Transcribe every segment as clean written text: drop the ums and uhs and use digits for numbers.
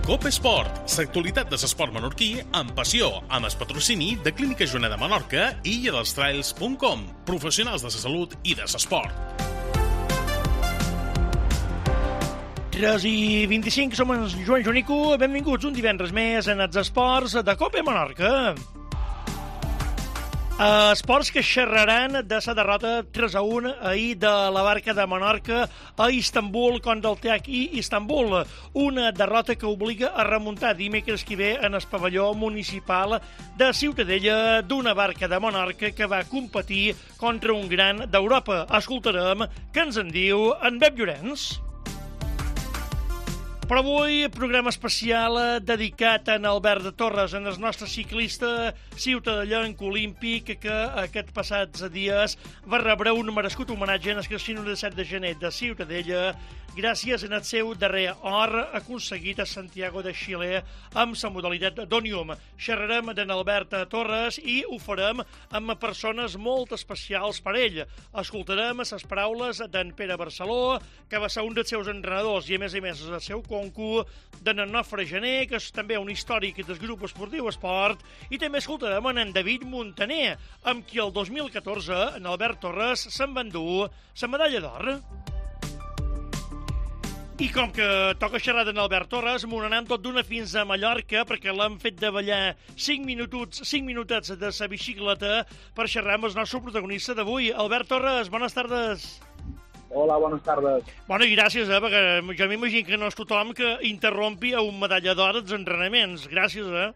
Cope Esport, l'actualitat de l'esport menorquí amb passió, amb el patrocini de Clínica Joana de Menorca i IllaDelsTrails.com, professionals de la salut i de l'esport. 3:25, som en Joan Jonico, benvinguts un divendres més en els esports de Cope Menorca. Esports que xerraran de la derrota 3-1 ahir de la Barca de Menorca a Istanbul contra el TEC Istanbul. Una derrota que obliga a remuntar dimecres que ve en el pavelló municipal de Ciutadella d'una Barca de Menorca que va competir contra un gran d'Europa. Escoltarem què ens en diu en Pep Llorenç. Però avui, programa especial dedicat a en Albert Torres, en el nostre ciclista ciutadellenc olímpic que aquests passats dies va rebre un merescut homenatge en el Casino de 7 de gener de Ciutadella gràcies en el seu darrer or aconseguit a Santiago de Xile amb la modalitat d'Ònium. Xerrarem d'en Albert Torres i ho farem amb persones molt especials per ell. Escoltarem les paraules d'en Pere Barceló, que va ser un dels seus entrenadors i a més el seu concu, d'en Nofre Gené, que és també un històric del grup esportiu Esport, i també escoltarem en David Montaner, amb qui el 2014 en Albert Torres se'n va endur la medalla d'or. I com que toca xerrar d'en Albert Torres, m'ho anem tot d'una fins a Mallorca perquè l'hem fet de ballar 5 minutets de sa bicicleta per xerrar amb el nostre protagonista d'avui. Albert Torres, bones tardes. Hola, bones tardes. Bueno, i gràcies, perquè jo m'imagino que no és tothom que interrompi a un medalla d'or als entrenaments. Gràcies, A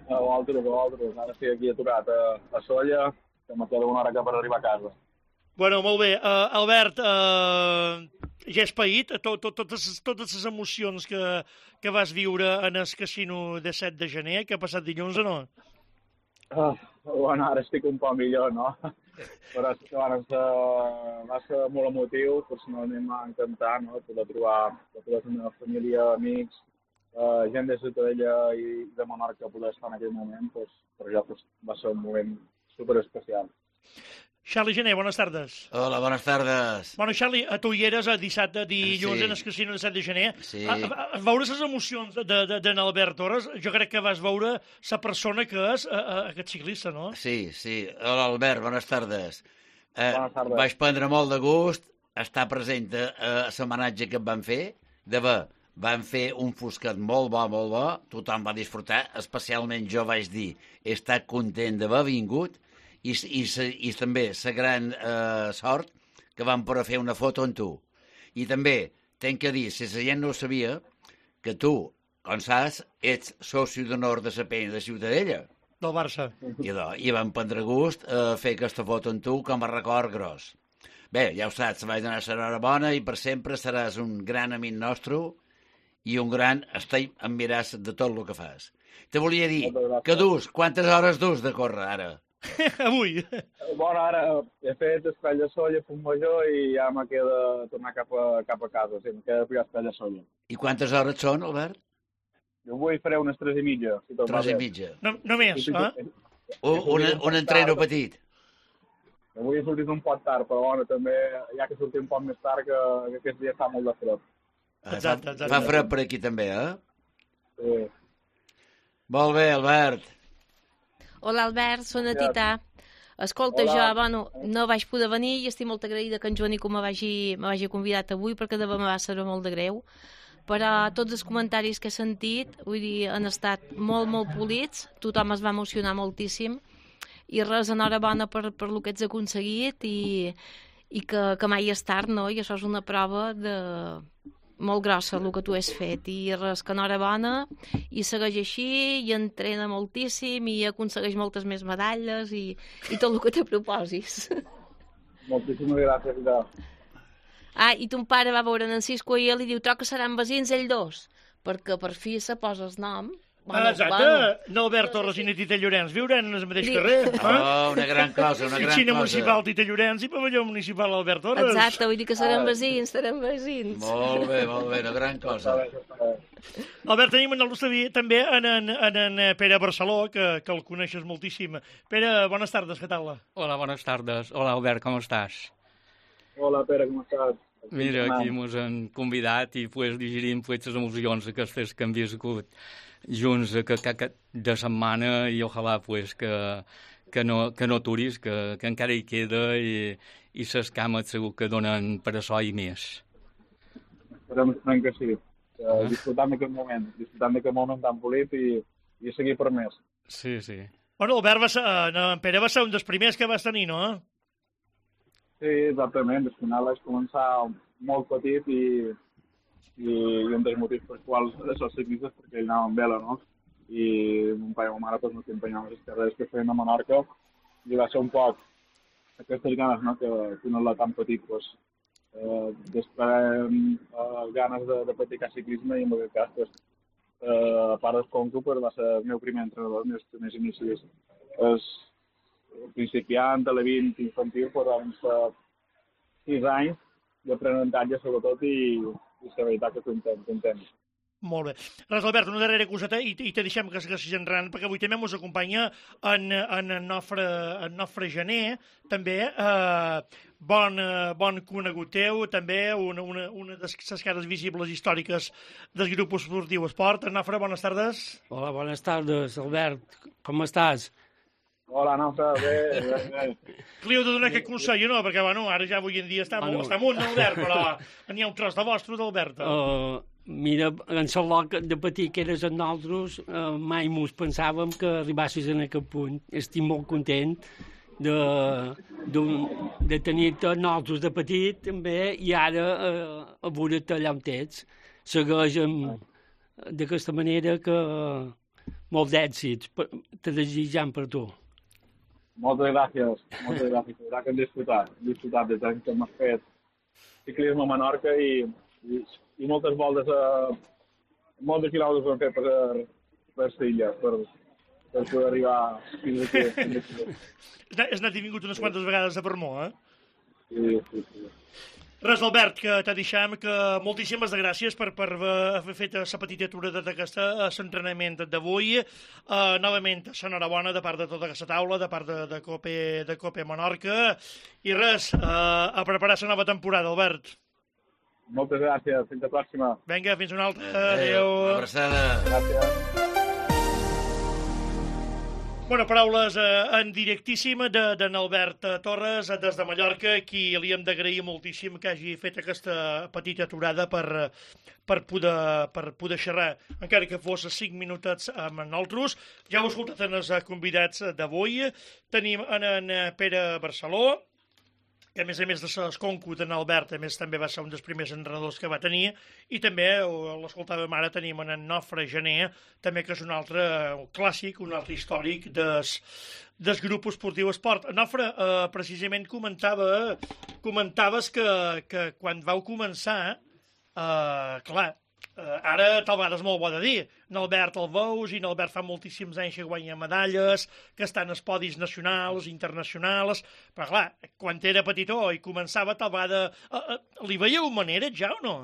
vosaltres. Ara estic aquí aturat a Solla, que me queda una hora que per arribar a casa. Bueno, molt bé. Albert, ja has paït totes les emocions que vas viure en el casino de 7 de gener, que ha passat dilluns o no? Bueno, ara estic un poc millor, no? Però és que va ser molt emotiu, personalment m'ha encantat, no? Poder trobar tota la meva família, amics, gent de Ciutadella i de Menorca poder estar en aquell moment, per jo va ser un moment superespecial. Charlie Gené, bones tardes. Hola, bones tardes. Bueno, Charlie, tu hi eres dissabte, dilluns, en el casino de 7 de gener. Sí. A veure les emocions d'en Albert Torres, jo crec que vas veure la persona que és aquest ciclista, no? Sí. Hola, Albert, bones tardes. Bones tardes. Vaig prendre molt de gust estar present a l'homenatge que et van fer. Van fer un fosquet molt bo, tothom va disfrutar, especialment jo vaig dir, he estat content d'haver vingut, i també la gran sort que vam poder fer una foto amb tu. I també tenc que dir, si la gent no ho sabia, que tu, com saps, ets soci d'honor de la penya de Ciutadella. Del Barça. I vam prendre gust a fer aquesta foto amb tu com a record gros. Bé, ja ho saps, vaig donar l'enhorabona i per sempre seràs un gran amic nostre i un gran estai admiràs de tot el que fas. Te volia dir que quantes hores de córrer ara? Avui. Bueno, ara he fet Espai de Solla, Punt Major, i ja me queda tornar cap a casa. Sí, me queda ficar Espai de Solla. I quantes hores són, Albert? Jo avui faré unes 3:30. Si 3:30. Només, Un entreno petit. Avui he sortit un poc tard, però bueno, també hi ha que sortir un poc més tard, que aquest dia està molt de fred. Exacte. Fa fred per aquí també, Sí. Molt bé, Albert. Hola, Albert, soc la Tita. Escolta, jo, no vaig poder venir i estic molt agraïda que en Joanico me vagi convidat avui perquè de me va ser molt de greu. Però tots els comentaris que he sentit, vull dir, han estat molt polits, tothom es va emocionar moltíssim i res, enhorabona per el que ets aconseguit i que mai és tard, no? I això és una prova molt grossa, el que tu has fet, i res, que enhorabona, i segueix així, i entrena moltíssim, i aconsegueix moltes més medalles, i tot el que te proposis. Moltíssimes gràcies, Ida. I ton pare va veure en Cisco i ell li diu, que seran vecins ells dos, perquè per fi se posa el nom. Exacte, n'Albert Torres i na Tita Llorenç viuran en el mateix carrer. Una gran cosa, Cine municipal Tita Llorenç i pavelló municipal Albert Torres. Exacte, vull dir que seran vecins. Molt bé, una gran cosa. Albert, tenim també en Pere Barceló, que el coneixes moltíssim. Pere, bones tardes, què tal? Hola, bones tardes. Hola, Albert, com estàs? Hola, Pere, com estàs? Mira, aquí mos han convidat i pues, digerim les emocions aquestes que hem viscut junts de setmana i ojalà pues, que no aturis, que encara hi queda i les cames segur que donen per això i més. Esperem que sí. Disfrutant d'aquest moment tan polit i seguir per més. Sí, sí. Bueno, en Pere va ser un dels primers que vas tenir, no? Sí, exactament. Al final vaig començar molt petit i un dels motius per quals els ciclistes perquè ell anava amb vela, no? I mon pare i ma mare ens empenyaven les carreres que feien a Menorca i va ser un poc aquestes ganes, no?, que no la tan petit, doncs, després ganes de practicar ciclisme i en aquest cas, doncs, a part del Conco, va ser el meu primer entrenador, els meus primers inicis. El principiant, a l'evint infantil, van ser 6 anys d'aprenentatge, sobretot, i la veritat que content. Molt bé. Res, Albert, una darrera coseta i te deixem que segueixis enrant, perquè avui també ens acompanya en Nofre Gené, també, bon conegut teu, també una de les cares visibles històriques del grup esportiu Esport. Nofre, bones tardes. Hola, bones tardes, Albert. Com estàs? Hola, Nofre, bé. Li heu de donar aquest consell, no? Perquè, bueno, ara ja avui en dia està amunt, Albert, però n'hi ha un tros de vostre, d'Albert. Mira, en Salot, de petit que eres amb nosaltres, mai mos pensàvem que arribassis en aquest punt. Estic molt content de tenir-te nosaltres de petit, també, i ara a veure-te allà on ets. Segueix d'aquesta manera que molts d'èxits te desitjam per tu. Moltes gràcies. La veritat que hem disfrutat des que hem fet ciclisme a Menorca i moltes voltes, molts de quilòmetres ho hem fet per l'illa, per poder arribar fins aquí. Has anat i vingut unes quantes vegades a Permó, eh? Sí. Res, Albert, que te deixem, que moltíssimes gràcies per haver fet la petita aturada d'aquest entrenament d'avui. Novament, enhorabona de part de tota aquesta taula, de part de Cope Menorca. I res, a preparar la nova temporada, Albert. Moltes gràcies, fins la pròxima. Vinga, fins una altra. Adéu. Abraçada. Gràcies. Bueno, paraules en directíssim d'en Albert Torres, des de Mallorca, qui li hem d'agrair moltíssim que hagi fet aquesta petita aturada per poder xerrar, encara que fos 5 minutets amb nosaltres. Ja heu escoltat en els convidats d'avui. Tenim en Pere Barceló, que a més de l'Esconco d'en Albert, a més també va ser un dels primers entrenadors que va tenir, i també, l'escoltàvem ara, tenim en Nofre Gené, també que és un altre clàssic, un altre històric del grup esportiu Esport. Nofre, precisament comentaves que quan vau començar, clar, ara tal vegada és molt bo de dir, n'Albert el veus i n'Albert fa moltíssims anys que guanya medalles, que estan als podis nacionals, internacionals, però clar, quan era petitó i començava tal vegada, li veieu manera ja o no?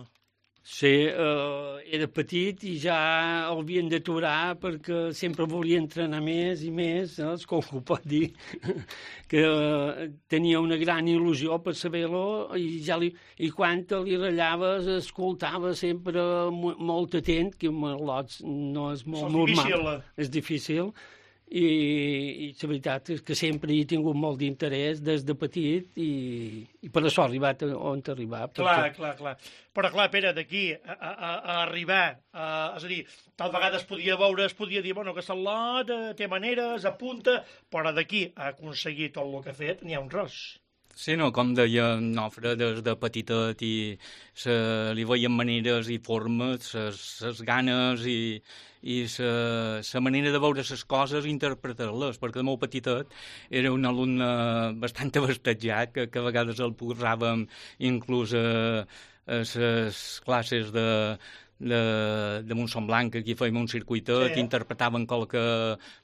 Sí, era petit i ja el havien d'aturar perquè sempre volia entrenar més i més, com ho pot dir, que tenia una gran il·lusió per saber-lo i quan li rallaves escoltava sempre molt atent, que amb lots no és molt normal, és difícil. I la veritat és que sempre he tingut molt d'interès des de petit i per això ha arribat on ha arribat. Clar. Però clar, Pere, d'aquí a arribar, és a dir, tal vegada es podia dir, bueno, que Salot té maneres, apunta, però d'aquí a aconseguir tot el que ha fet n'hi ha un tros. Sí, no, com deia Nofre, des de petitet i li veien maneres i formes, les ganes i la manera de veure les coses i interpretar-les, perquè de molt petitet era un alumne bastant abastejat, que a vegades el posàvem inclús a les classes de Montsomblanc, aquí fèiem un circuitet, interpretaven qualque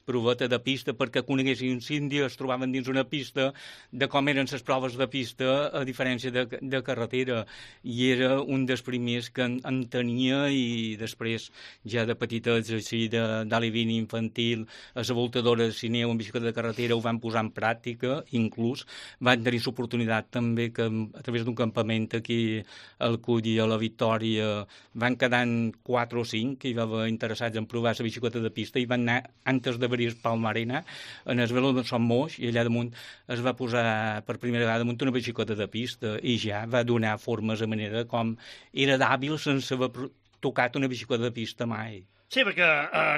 proveta de pista perquè coneguessin l'Índia, es trobaven dins una pista de com eren les proves de pista a diferència de carretera, i era un dels primers que en tenia, i després ja de petitets així d'alivini infantil, a la voltadora de cineu en bicicleta de carretera ho van posar en pràctica, inclús van tenir l'oportunitat també que a través d'un campament aquí al Cull i a la Victòria van quedant 4 o 5 que hi va haver interessats en provar la bicicleta de pista, i van anar antes d'obrir el Palmarena en el velo de Son Moix, i allà damunt es va posar per primera vegada damunt una bicicleta de pista, i ja va donar formes a manera com era d'hàbil sense haver tocat una bicicleta de pista mai. Sí, perquè,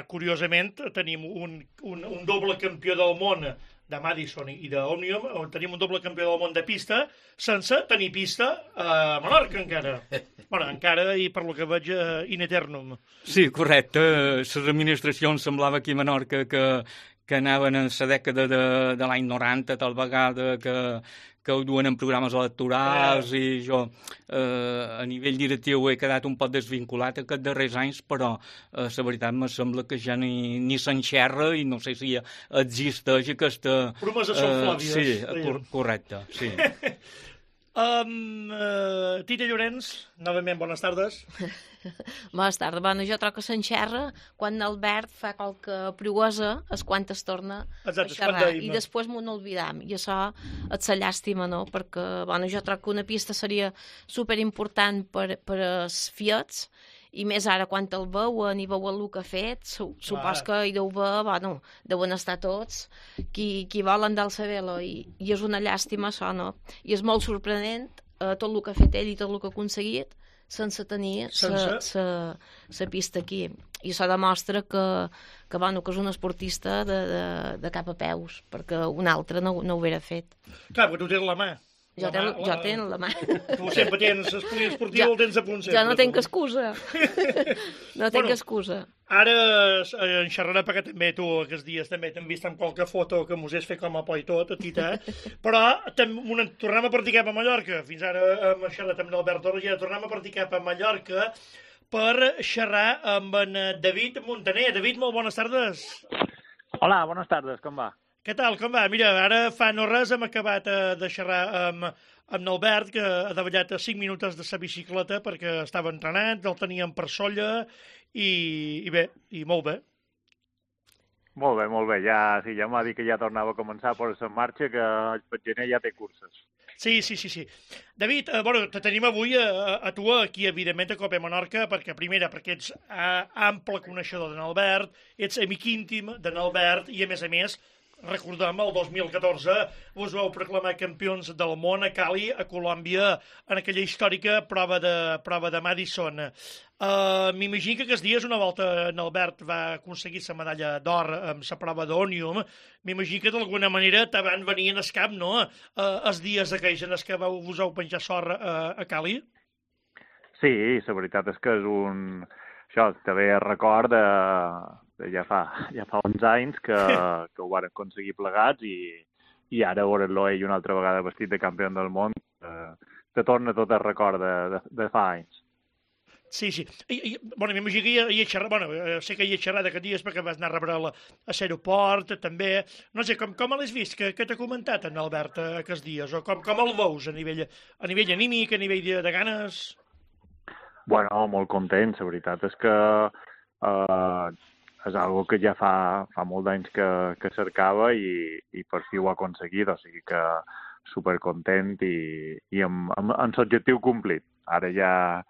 curiosament, tenim un doble campió del món de Madison i d'Òmnium, tenim un doble campió del món de pista sense tenir pista a Menorca encara. Bueno, encara, i per lo que veig, in eternum. Sí, correcte. Les administracions semblava aquí a Menorca que anaven en la dècada de l'any 90, tal vegada, que ho duen en programes electorals, i jo a nivell directiu he quedat un poc desvinculat aquests darrers anys, però la veritat me sembla que ja ni s'enxerra, i no sé si existeix aquesta... Promeses són flàvies. Sí, correcte, sí. Tita Llorenç, novament, bones tardes. Bones tardes. Bueno, jo trobo que s'enxerra quan l'Albert fa qualque proesa, és quan es torna a xerrar. I després m'ho n'olvidam. I això és la llàstima, no? Perquè, bueno, jo trobo que una pista seria superimportant per als Fiats, i més ara quan el veuen i veuen el que ha fet, supos que hi deu haver, bueno, deuen estar tots qui volen del Sabelo, i és una llàstima això, no? I és molt sorprenent tot el que ha fet ell i tot el que ha aconseguit sense tenir la pista aquí. I això demostra que és un esportista de cap a peus, perquè un altre no ho hauria fet. Clar, perquè tu tens la mà. Jo tenc la mà. Tu sempre tens l'espoli esportiu, el tens a punt sempre. Jo no tenc excusa. No tenc excusa. Ara en xerrarà, perquè també tu aquests dies també t'hem vist amb qualque foto que mos has fet com a por i tot, a Tita, però tornem a partir cap a Mallorca. Fins ara hem xerrat amb l'Albert Torres, i ara tornem a partir cap a Mallorca per xerrar amb en David Montaner. David, molt bones tardes. Hola, bones tardes, com va? Què tal, com va? Mira, ara fa no res hem acabat de xerrar amb l'Albert, que ha davallat 5 minuts de sa bicicleta perquè estava entrenant, el teníem per Solla, i bé, i molt bé. Molt bé. Ja m'ha dit que ja tornava a començar per la marxa, que el gener ja té curses. Sí. David, te tenim avui a tu aquí, evidentment, a Copa Menorca, perquè ets ample coneixedor de n'Albert, ets amic íntim de n'Albert, i a més, recordem, el 2014 us vau proclamar campions del món a Cali, a Colòmbia, en aquella històrica prova de Madison. M'imagino que aquests dies, una volta n'Albert va aconseguir la medalla d'or amb la prova d'Òmnium, m'imagino que d'alguna manera te van venir en el cap, no?, els dies aquells en els que us heu penjar sort a Cali? Sí, la veritat és que és un... Això també record ja fa 11 anys que ho van aconseguir plegats, i ara veure-lo ell una altra vegada vestit de campió del món te torna tot el record de fa anys. Sí. M'imagino que hi he xerrat, sé que hi he xerrat aquests dies perquè vas anar a rebre a l'aeroport, també. No sé, com l'has vist? Què t'ha comentat en Albert aquests dies? O com el veus a nivell anímic, a nivell de ganes? Bueno, molt content, la veritat és que és algo que ja fa molt d'anys que cercava, i per fi ho ha aconseguit, o sigui que supercontent i amb l'objectiu complit. Ara ja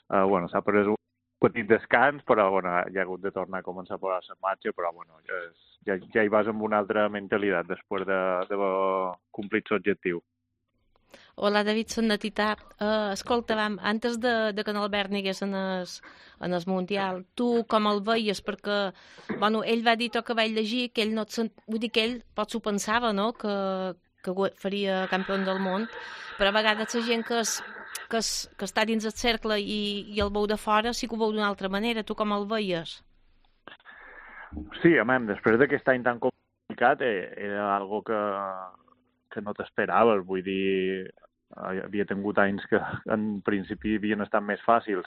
s'ha pres un petit descans, però ja ha hagut de tornar a començar a posar la marxa, però ja hi vas amb una altra mentalitat després d'haver complit l'objectiu. Hola, David, soc na Tita. Escolta, antes de que n'Albert anés en el Mundial, tu com el veies? Perquè, ell va dir tot que vaig llegir, que ell no vull dir que ell potser ho pensava, no?, que faria campió del món, però a vegades la gent que està dins el cercle i el veu de fora sí que ho veu d'una altra manera. Tu com el veies? Sí, després d'aquest any tan complicat era algo que no t'esperaves, vull dir, havia tingut anys que en principi havien estat més fàcils,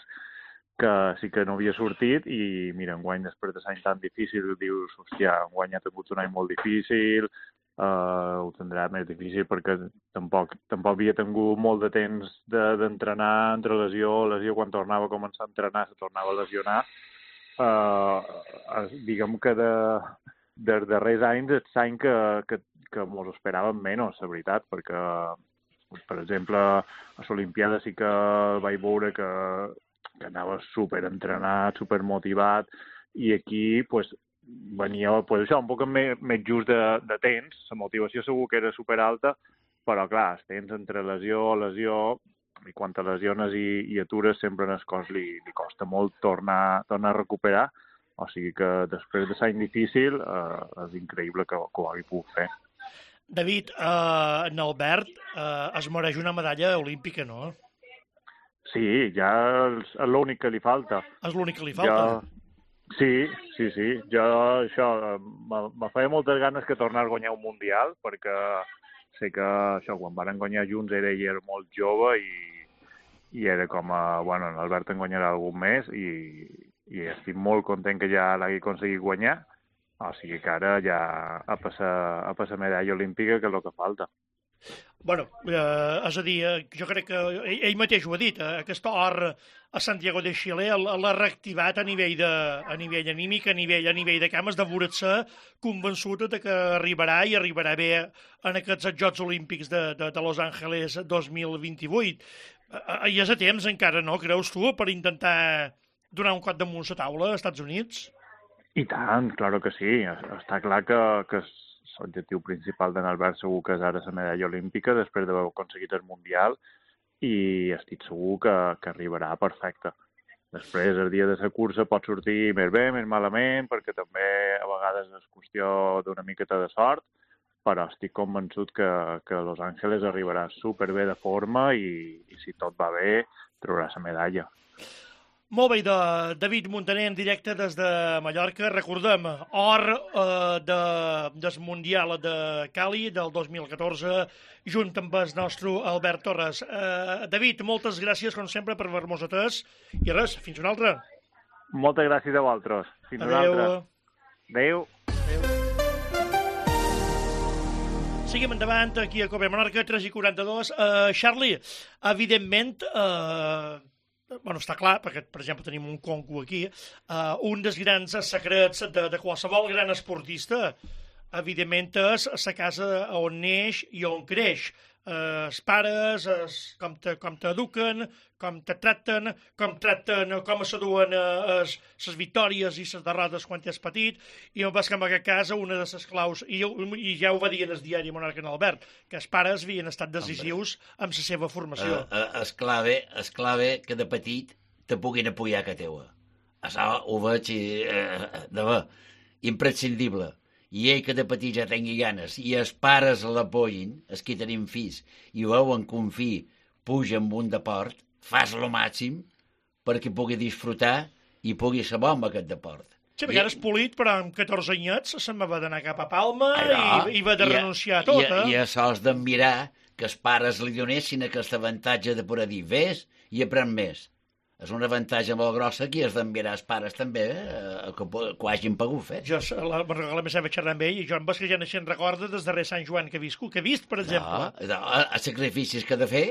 que sí que no havia sortit i, mira, enguany, després de l'any tan difícil, dius, hòstia, enguany ha tingut un any molt difícil, ho tindrà més difícil perquè tampoc havia tingut molt de temps d'entrenar entre lesió, quan tornava a començar a entrenar, se tornava a lesionar. Diguem que dels darrers anys és l'any que mos esperàvem menys, la veritat, perquè, per exemple, a l'Olimpiada sí que vaig veure que anava superentrenat, supermotivat, i aquí venia això un poc més just de temps. La motivació segur que era superalta, però clar, el temps entre lesió, i quan te lesiones i atures sempre en el cos li costa molt tornar a recuperar, o sigui que després de l'any difícil és increïble que ho hagi pogut fer. David, en Albert es mereix una medalla olímpica, no? Sí, ja és l'únic que li falta. És l'únic que li falta? Sí. Jo això, me feia moltes ganes que tornés a guanyar un Mundial, perquè sé que això, quan van guanyar junts ell era molt jove i era com bueno, l'Albert en guanyarà algun més i estic molt content que ja l'hagi aconseguit guanyar, o sigui que ara ja a passar medalla olímpica, que és el que falta. Bueno, és a dir, jo crec que ell mateix ho ha dit, aquest or a Santiago de Xile l'ha reactivat a nivell anímic, a nivell de cames, de voler-se convençut que arribarà i arribarà bé en aquests Jocs Olímpics de Los Angeles 2028. Hi és a temps encara, no, creus tu, per intentar donar un cop damunt la taula als Estats Units? I tant, clar que sí. Està clar que l'objectiu principal d'en Albert segur que és ara la medalla olímpica després d'haver aconseguit el Mundial i estic segur que arribarà perfecte. Després, el dia de la cursa pot sortir més bé, més malament, perquè també a vegades és qüestió d'una miqueta de sort, però estic convençut que Los Angeles arribarà superbé de forma i si tot va bé, traurà la medalla. Molt bé, David Muntaner en directe des de Mallorca. Recordem, or del Mundial de Cali del 2014, junt amb el nostre Albert Torres. David, moltes gràcies, com sempre, per haver-nos atès. I res, fins una altra. Moltes gràcies a vosaltres. Fins una altra. Adéu. Seguim endavant, aquí a Cope Menorca, 3:42. Charlie, evidentment... està clar, perquè, per exemple, tenim un conco aquí, un dels grans secrets de qualsevol gran esportista, evidentment, és la casa on neix i on creix. Els pares, com t'eduquen, com te tracten, com s'aduen les victòries i les derrotes quan ets petit, i em vas que en aquest cas una de les claus, i ja ho va dir en el diari Monarca en Albert, que els pares havien estat decisius amb la seva formació. És clave que de petit te puguin apoyar que teua. Això ho veig imprescindible. I ell que de petit ja tingui ganes i els pares l'apoyin, els que tenim fills, i veuen que un fill puja amb un deport, fas lo màxim perquè pugui disfrutar i pugui ser bo amb aquest deport. Sí, perquè ara és polit, però amb 14 anyets se'n va d'anar cap a Palma i va de renunciar a tot, I això és d'admirar que els pares li donessin aquest avantatge de poder dir ves i aprèn més. És un avantatge molt grossa que és d'enviar els pares també que ho hagin pogut fer. Jo me'n recordo més a xerrar amb ell i jo em vas que ja naixent recorda des darrer Sant Joan que he vist, per exemple. Els sacrificis que ha de fer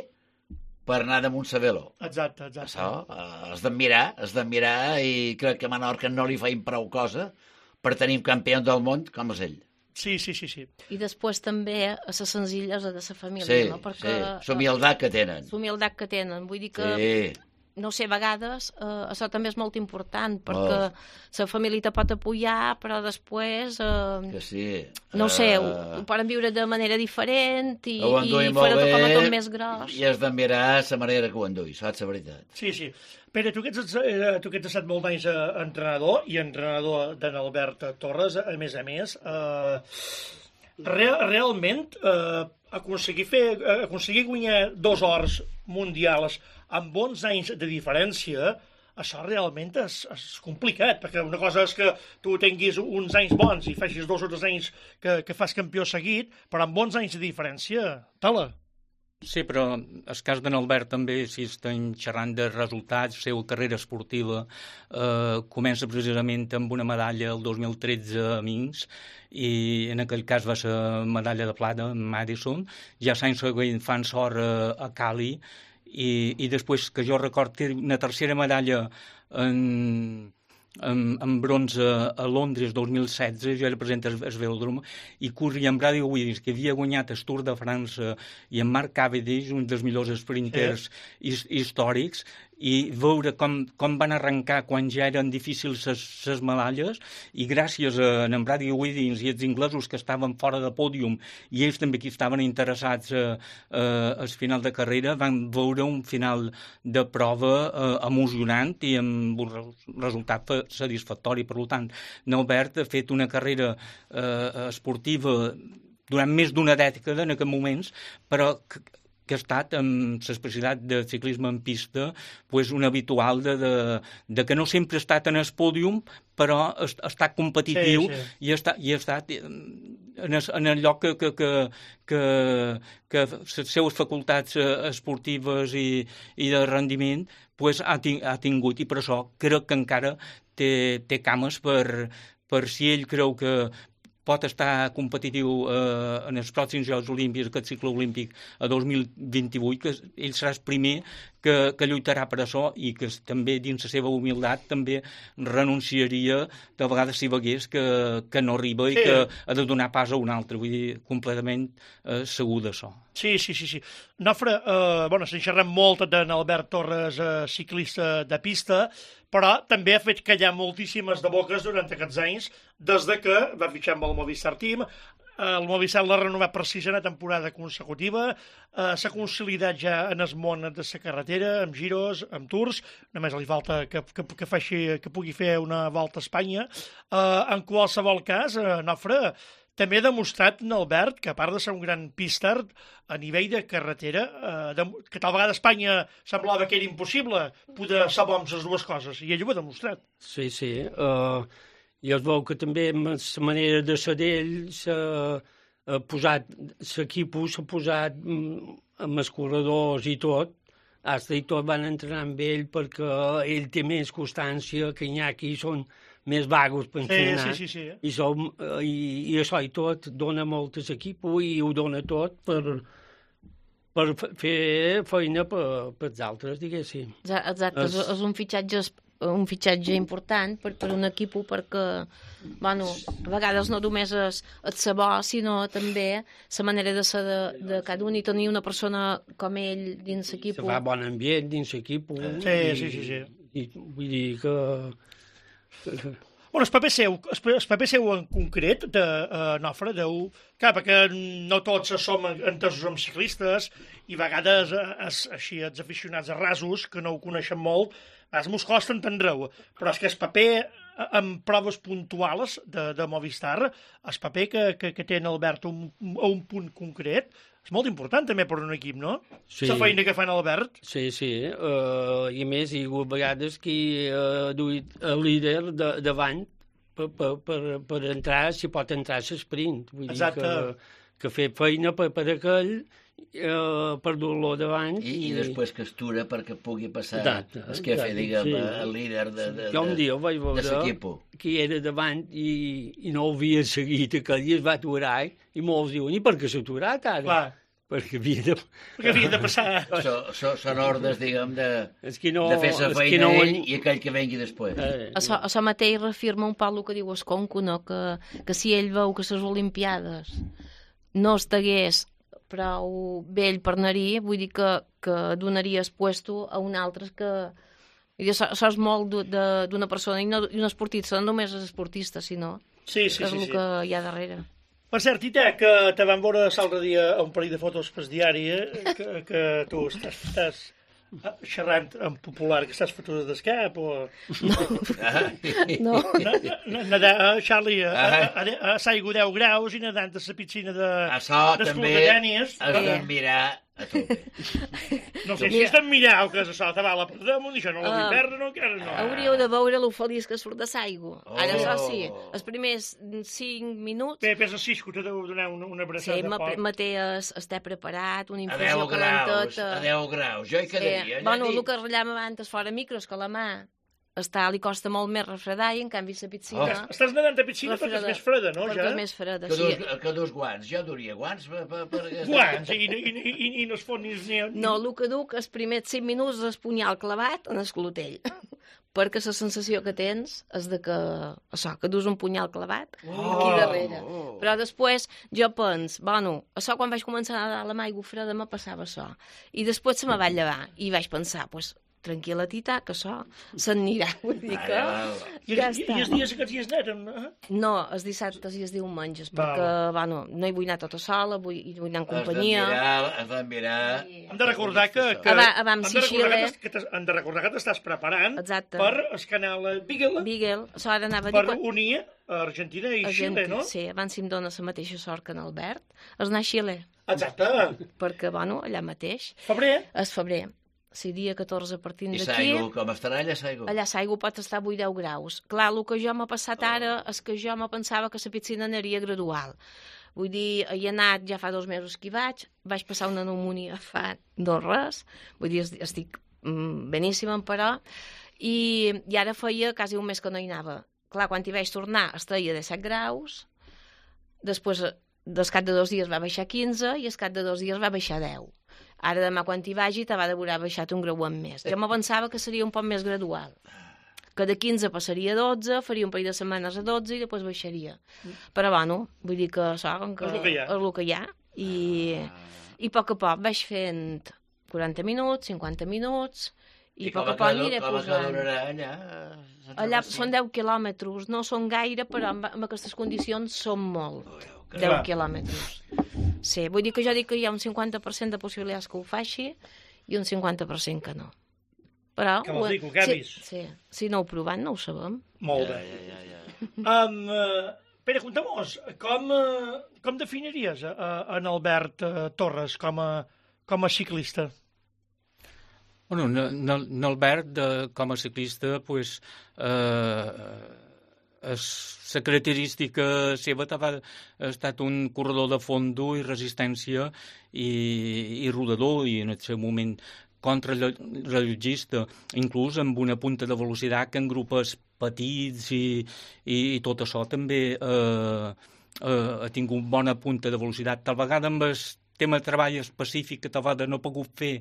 per anar damunt sa velo. Exacte. Això és d'admirar i crec que a Menorca no li feim prou cosa per tenir un campió del món com és ell. Sí. I després també a la senzillesa de la família, no? Sí, l'humilitat que tenen. L'humilitat que tenen, vull dir que... Sí. No sé, a vegades això també és molt important, perquè la família te pot apoyar, però després, que sí. No sé, ho poden viure de manera diferent i farà com a tot més gros. I has d'admirar la manera que ho endui, saps la veritat. Sí. Pere, tu que ets estat molt d'anys entrenador i entrenador d'en Albert Torres, a més, realment aconseguir guanyar 2 ors mundials amb bons anys de diferència, això realment és complicat, perquè una cosa és que tu tinguis uns anys bons i facis 2 o 3 anys que fas campió seguit, però amb bons anys de diferència, tala. Sí, però el cas d'en Albert també, si estem xerrant de resultats, la seva carrera esportiva comença precisament amb una medalla el 2013 a Minsk, i en aquell cas va ser medalla de plata en Madison, ja l'any següent fan sort a Cali, i després, que jo record, té una tercera medalla en bronze a Londres 2016, jo era present al velòdrom, i corria amb Brady Wiggins, que havia guanyat el Tour de França, i en Mark Cavendish, un dels millors sprinters històrics, i veure com van arrencar quan ja eren difícils les medalles, i gràcies a en Brady Wiggins i els inglesos que estaven fora de pòdium, i ells també que estaven interessats al final de carrera, van veure un final de prova emocionant i amb un resultat satisfactori. Per tant, Albert ha fet una carrera esportiva durant més d'una dècada en aquests moments, però que ha estat amb l'especialitat de ciclisme en pista un habitual de que no sempre ha estat en el pòdium, però ha estat competitiu i ha estat en el lloc que les seues facultats esportives i de rendiment ha tingut, i per això crec que encara té cames per si ell creu que pot estar competitiu en els pròxims Jocs Olímpics, aquest cicle olímpic a 2028, que ell serà el primer que lluitarà per això, i que també dins la seva humilitat també renunciaria de vegades si vegués que no arriba i que ha de donar pas a un altre. Vull dir, completament segur d'això. Sí. Nofre, se'n xerrem molt d'en Albert Torres, ciclista de pista, però també ha fet callar moltíssimes de boques durant aquests anys, des que va fitxar amb el Movistar Team. El Movistar l'ha renovat per 6a temporada consecutiva, s'ha consolidat ja en el món de la carretera, amb giros, amb tours, només li falta que pugui fer una volta a Espanya. En qualsevol cas, Nofre, també ha demostrat en Albert que, a part de ser un gran píster, a nivell de carretera, que tal vegada a Espanya semblava que era impossible poder ser bons les dues coses, i ell ho ha demostrat. Sí. I es veu que també amb la manera de ser d'ell l'equip s'ha posat amb els corredors i tot, i tot van entrenar amb ell perquè ell té més constància que Iñaki, són més vagos per entrenar. Sí. I això i tot dona molt a l'equip i ho dona tot per fer feina per els altres, diguéssim. Exacte, és un fitxatge important per un equip, perquè a vegades no només és el saber, sinó també la manera de ser de cada un, i tenir una persona com ell dins l'equip. Se fa bon ambient dins l'equip. Sí. I vull dir que... El paper seu en concret, de Nofre, clar, perquè no tots som entesos amb ciclistes, i a vegades així els aficionats a rasos, que no ho coneixen molt, mos costa entendre-ho, però és que el paper en proves puntuals de Movistar, el paper que té en Albert a un punt concret, és molt important també per un equip, no? Sí. La feina que fa en Albert. Sí. I a més, hi ha hagut vegades que ha duit el líder davant per entrar, si pot entrar a l'esprint. Vull dir que fer feina per aquell, per dur-lo davant. I després que estura perquè pugui passar el que fer, diguem, el líder de l'equip. Que era davant i no havia seguit aquell, i es va aturar, i molts diuen, i per què s'ha aturat ara? Clar. Perquè havia de passar. Són ordres, diguem, de fer la feina ell i aquell que vengui després. Això mateix reafirma un poc el que diu Esconco, no? Que si ell veu que les Olimpiades no estigués prou vell per anar-hi, vull dir que donaria el puesto a un altre que... Això és molt d'una persona, i un esportista, no només és esportista, sinó que és el que hi ha darrere. Per cert, Tita, que te van veure l'altre dia a un parell de fotos pel diari, que tu estàs xerrant en popular, que estàs fotuda d'escap, o... No. Charlie, a s'aigua 10 graus i nedant a la piscina de... Això també has de mirar A tope. No sé si estem mirant que se sol acabar la damunt, això no la vull perdre, no, encara no. Hauríeu de veure lo feliç que surt de l'aigua. Ara, això sí, els primers 5 minuts... Bé, pesa Cisco, te deu donar una abraçada Sí, fort. me té estar preparat, una A infusió 10 graus, calenteta. a 10 graus. Jo hi quedaria. Bueno, el que ratllàvem abans fora micros, que la mà li costa molt més refredar i en canvi la piscina... Estàs nedant a piscina perquè és més freda, no, ja? Perquè és més freda, sí. Que dus guants. Jo duria guants per... Guants, i no es fot ni... No, el que duc, els primers 5 minuts és punyal clavat en el clotell. Perquè la sensació que tens és de que, això, que dus un punyal clavat aquí darrere. Però després jo penso, bueno, això quan vaig començar a nedar a la aigua freda me passava això. I després se me va llevar i vaig pensar, doncs, tranquil·la, tita, que això se'n anirà. Vull dir que ja està. I els dies aquests dies neten? No, els dissabtes i els diumenges, perquè, bueno, no hi vull anar tota sola, vull anar en companyia. Has de mirar... Hem de recordar que hem de recordar que t'estàs preparant per el canal Beagle. Beagle, això ara anava a dir... Per unir Argentina i Xile, no? Sí, abans si em dóna la mateixa sort que en Albert, és anar a Xile. Exacte. Perquè, bueno, allà mateix. Febrer? És febrer. Si dia 14 partint d'aquí... I l'aigua, com estarà allà l'aigua? Allà l'aigua pot estar a 8-10 graus. Clar, el que jo m'ha passat ara és que jo me pensava que la piscina anaria gradual. Vull dir, hi he anat ja fa 2 mesos que hi vaig passar una pneumònia fa 2 res, vull dir, estic beníssima, però, i ara feia quasi un mes que no hi anava. Clar, quan hi vaig tornar estaria de 7 graus, després, del cap de 2 dies va baixar 15 i al cap de 2 dies va baixar 10. Ara demà quan hi vagi t'ha d'haver baixat un grau en més. Jo me pensava que seria un poc més gradual. Que de 15 passaria a 12, faria un parell de setmanes a 12 i després baixaria. Però bueno, vull dir que saben que és el que hi ha. I a poc vaig fent 40 minuts, 50 minuts, i a poc aniré posant. Allà són 10 quilòmetres, no són gaire, però en aquestes condicions són molt. 10 quilòmetres. Sí, vull dir que jo dic que hi ha un 50% de possibilitats que ho faci i un 50% que no. Però... Que vols dir, que ho canvis? Sí, si no ho provant no ho sabem. Molt bé. Pere, conta'm-nos, com definiries en Albert Torres com a ciclista? Bueno, n'Albert, com a ciclista, pues, la característica seva ha estat un corredor de fondo i resistència i rodador, i en el seu moment contrarellotgista, inclús amb una punta de velocitat que en grupos petits i tot això també ha tingut bona punta de velocitat. Tal vegada amb el tema de treball específic que tal vegada no ha pogut fer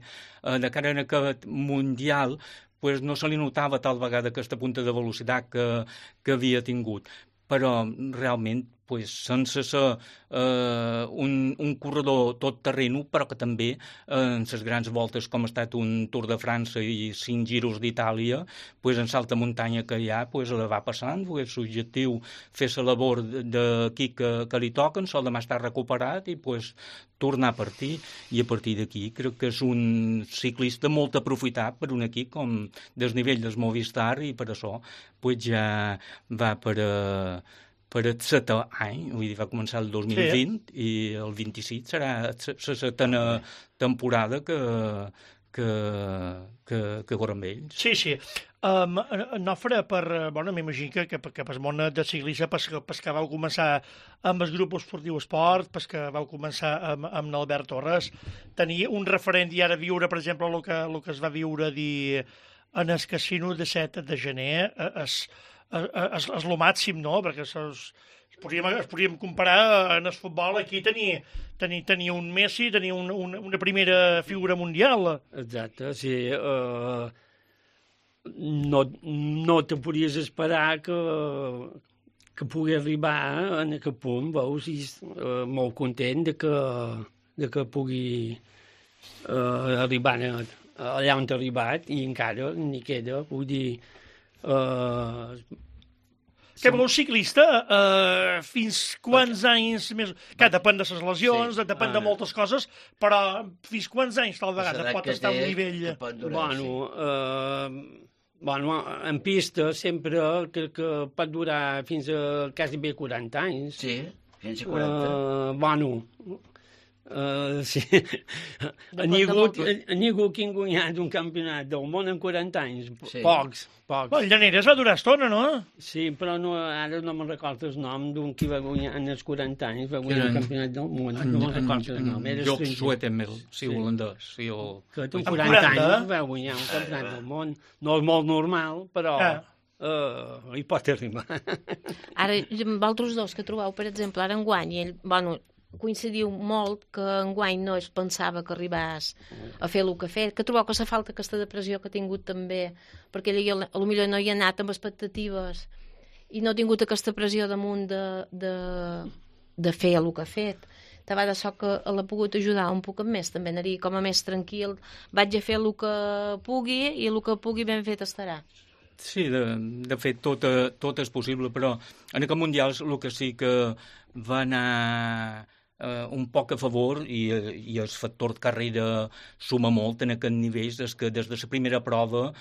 de cara a aquest mundial, pues no se li notava tal vegada aquesta punta de velocitat que havia tingut. Però realment, pues, sense ser un corredor tot terreno, però que també en les grans voltes, com ha estat un Tour de França i 5 giros d'Itàlia, pues, en l'alta muntanya que hi ha, pues, la va passant, pues, l'objectiu fer la labor d'aquí que li toquen, sol demà estar recuperat i pues, tornar a partir, i a partir d'aquí crec que és un ciclista molt aprofitat per un equip com del nivell del Movistar, i per això pues, ja va per el 7è any, vull dir, va començar el 2020 i el 26 serà la 7a temporada que corre amb ells. Sí. Nofre, m'imagino que per món de ciclisme, pas que vau començar amb el grup esportiu Esport, pas que vau començar amb l'Albert Torres, tenia un referent i ara viure, per exemple, el que es va viure en el casino de 7 de gener, és el màxim, no? Perquè es podríem comparar en el futbol. Aquí tenia un Messi, tenia una primera figura mundial. Exacte, sí. No te podies esperar que pugui arribar en aquest punt, veus? I molt content de que pugui arribar allà on ha arribat, i encara n'hi queda, vull dir... Que un ciclista, fins quants anys més... Que depèn de les lesions, depèn de moltes coses, però fins quants anys tal vegada pot estar a un nivell... Bueno, en pista sempre crec que pot durar fins a quasi bé 40 anys. Sí, fins a 40. Sí. N'hi ha hagut que han guanyat un campionat del món en 40 anys. Sí. Pocs. El Llaneres va durar estona, no? Sí, però ara no me'n recordo el nom d'un qui va guanyar en els 40 anys, va guanyar el campionat del món. No me'n recordo el nom. Joc Zoetemelk, sí, holandès. Sí, que amb 40 anys va guanyar un campionat del món. No és molt normal, però hi pot arribar. Ara, vosaltres dos que trobeu, per exemple, ara enguany, ell, coincidiu molt que enguany no es pensava que arribàs a fer el que ha fet, que trobeu que s'ha falta aquesta depressió que ha tingut també, perquè ell potser no hi ha anat amb expectatives i no ha tingut aquesta pressió damunt de fer el que ha fet. De vegades so que l'ha pogut ajudar un poc més, també anaria com a més tranquil, vaig a fer el que pugui i el que pugui ben fet estarà. Sí, de fet, tot és possible, però en aquest Mundials el que sí que va anar un poc a favor, i el factor de carrera suma molt en aquest nivell, és que des de la primera prova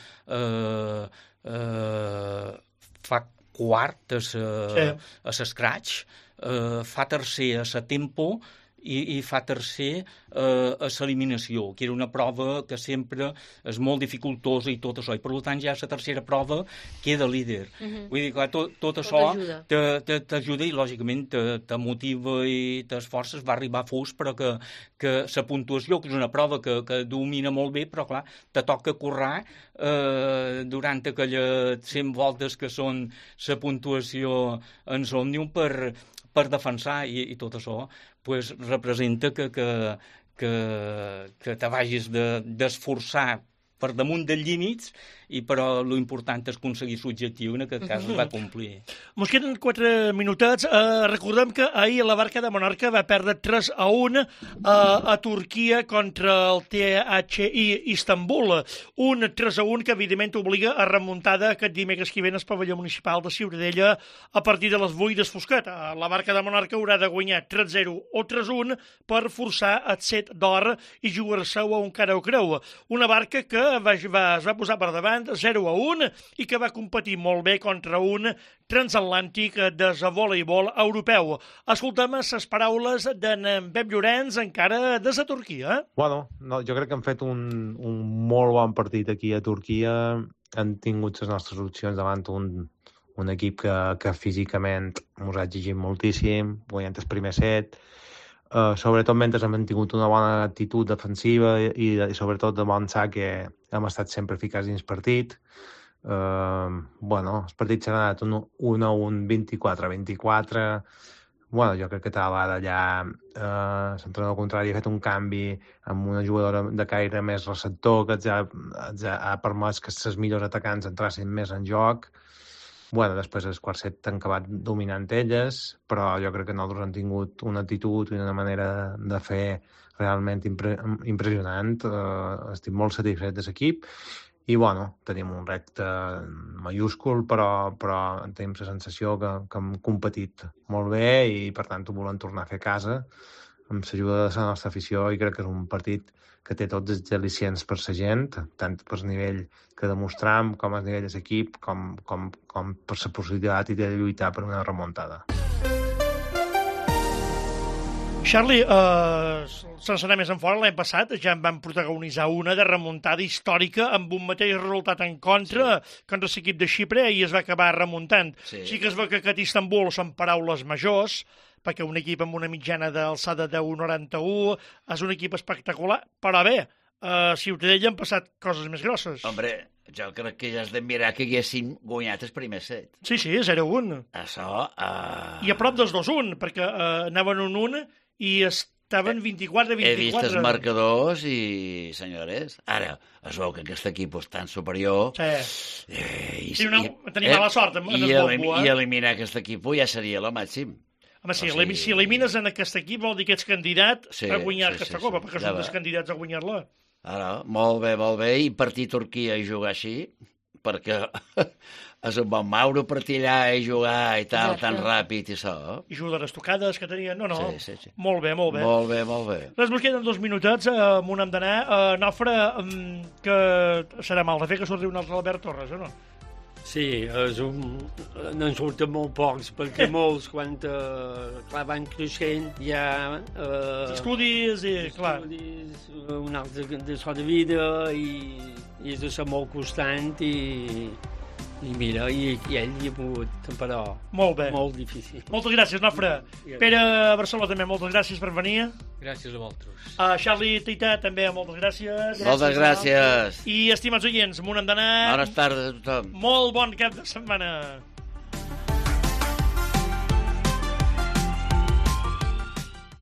fa quart a l'escratch, fa tercer a la tempo i fa tercer a l'eliminació, que era una prova que sempre és molt dificultosa i tot això, i per tant ja a la tercera prova queda líder. Vull dir, clar, tot això t'ajuda i lògicament te motiva i t'esforces, va arribar fus, però que la puntuació, que és una prova que domina molt bé, però clar, te toca currar durant aquelles 100 voltes que són la puntuació en l'Òmnium per defensar, i tot això pues, representa que te vagis d'esforçar per damunt dels límits, però l'important és aconseguir l'objectiu, en aquest cas es va complir. Ens queden 4 minutets. Recordem que ahir la Barca de Menorca va perdre 3-1 a Turquia contra el THI Istanbul. Un 3-1 que evidentment obliga a remuntada aquest dimecres que ve al pavelló municipal de Ciutadella a partir de les 8 d'Esfoscat. La Barca de Menorca haurà de guanyar 3-0 o 3-1 per forçar el set d'or i jugar-se-ho a un cara o creu. Una Barca que es va posar per davant 0-1 i que va competir molt bé contra un transatlàntic de voleibol europeu. Escoltem les paraules d'en Pep Llorenç, encara des de Turquia. Bueno, jo crec que han fet un molt bon partit aquí a Turquia. Han tingut les nostres opcions davant un equip que físicament ens ha exigit moltíssim, guanyant el primer set. Sobretot mentre hem tingut una bona actitud defensiva i sobretot de avançar, que hem estat sempre ficats dins partit. El partit s'ha anat 1-1, 24-24. Jo crec que tal vegada ja l'entrenador contrari ha fet un canvi amb una jugadora de caire més receptor que ha permès que els millors atacants entrassin més en joc. Després el quart set han acabat dominant elles, però jo crec que nosaltres hem tingut una actitud i una manera de fer realment impressionant. Estic molt satisfet de l'equip i, tenim un repte mayúscul, però tenim la sensació que hem competit molt bé i, per tant, ho volem tornar a fer a casa amb l'ajuda de la nostra afició, i crec que és un partit que té tots els al·licients per la gent, tant per nivell que demostram, com a nivell de l'equip, com per la possibilitat de lluitar per una remuntada. Charlie, sense anar més en fora, l'any passat ja en van protagonitzar una de remuntada històrica amb un mateix resultat en contra l'equip de Xipre, i es va acabar remuntant. Sí que es veu que aquest Istanbul són paraules majors, perquè un equip amb una mitjana d'alçada de 1,91 és un equip espectacular, però bé, a Ciutadella han passat coses més grosses. Hombre, jo crec que ja has de mirar que haguessin guanyat el primer set. Sí, 0-1. Això... I a prop dels 2-1, perquè anaven 1-1 i estaven 24-24. He vist els marcadors i, senyores, ara es veu que aquest equip és tan superior... Sí. Tenim mala sort amb el Bombo, I eliminar aquest equip ja seria el màxim. Home, si elimines en aquest equip vol dir que ets candidat a guanyar aquesta copa, perquè són dels candidats a guanyar-la. Ara, molt bé, i partir a Turquia i jugar així, perquè és un bon Mauro partir allà i jugar i tal, tan ràpid i això. I jugadores tocades que tenien, no. Sí. Molt bé. Molt bé. Res, ens queden 2 minutets, on hem d'anar. Nofre, que serà mal de fer que surti un altre Albert Torres, o no? Sí, n'en surten molt pocs, perquè molts, quan clar, van creixent, ja... Estudis i, clar... Estudis, un altre de so de vida, i és de ser molt constant, i mira, i ell hi ha pogut, però... Molt bé. Molt difícil. Moltes gràcies, Nofre. Pere Barceló, també, moltes gràcies per venir. Gràcies a vosaltres. Charlie Tita, també, moltes gràcies. Moltes gràcies. I, estimats oients, m'ho hem d'anar... Bones tardes a tothom. Molt bon cap de setmana.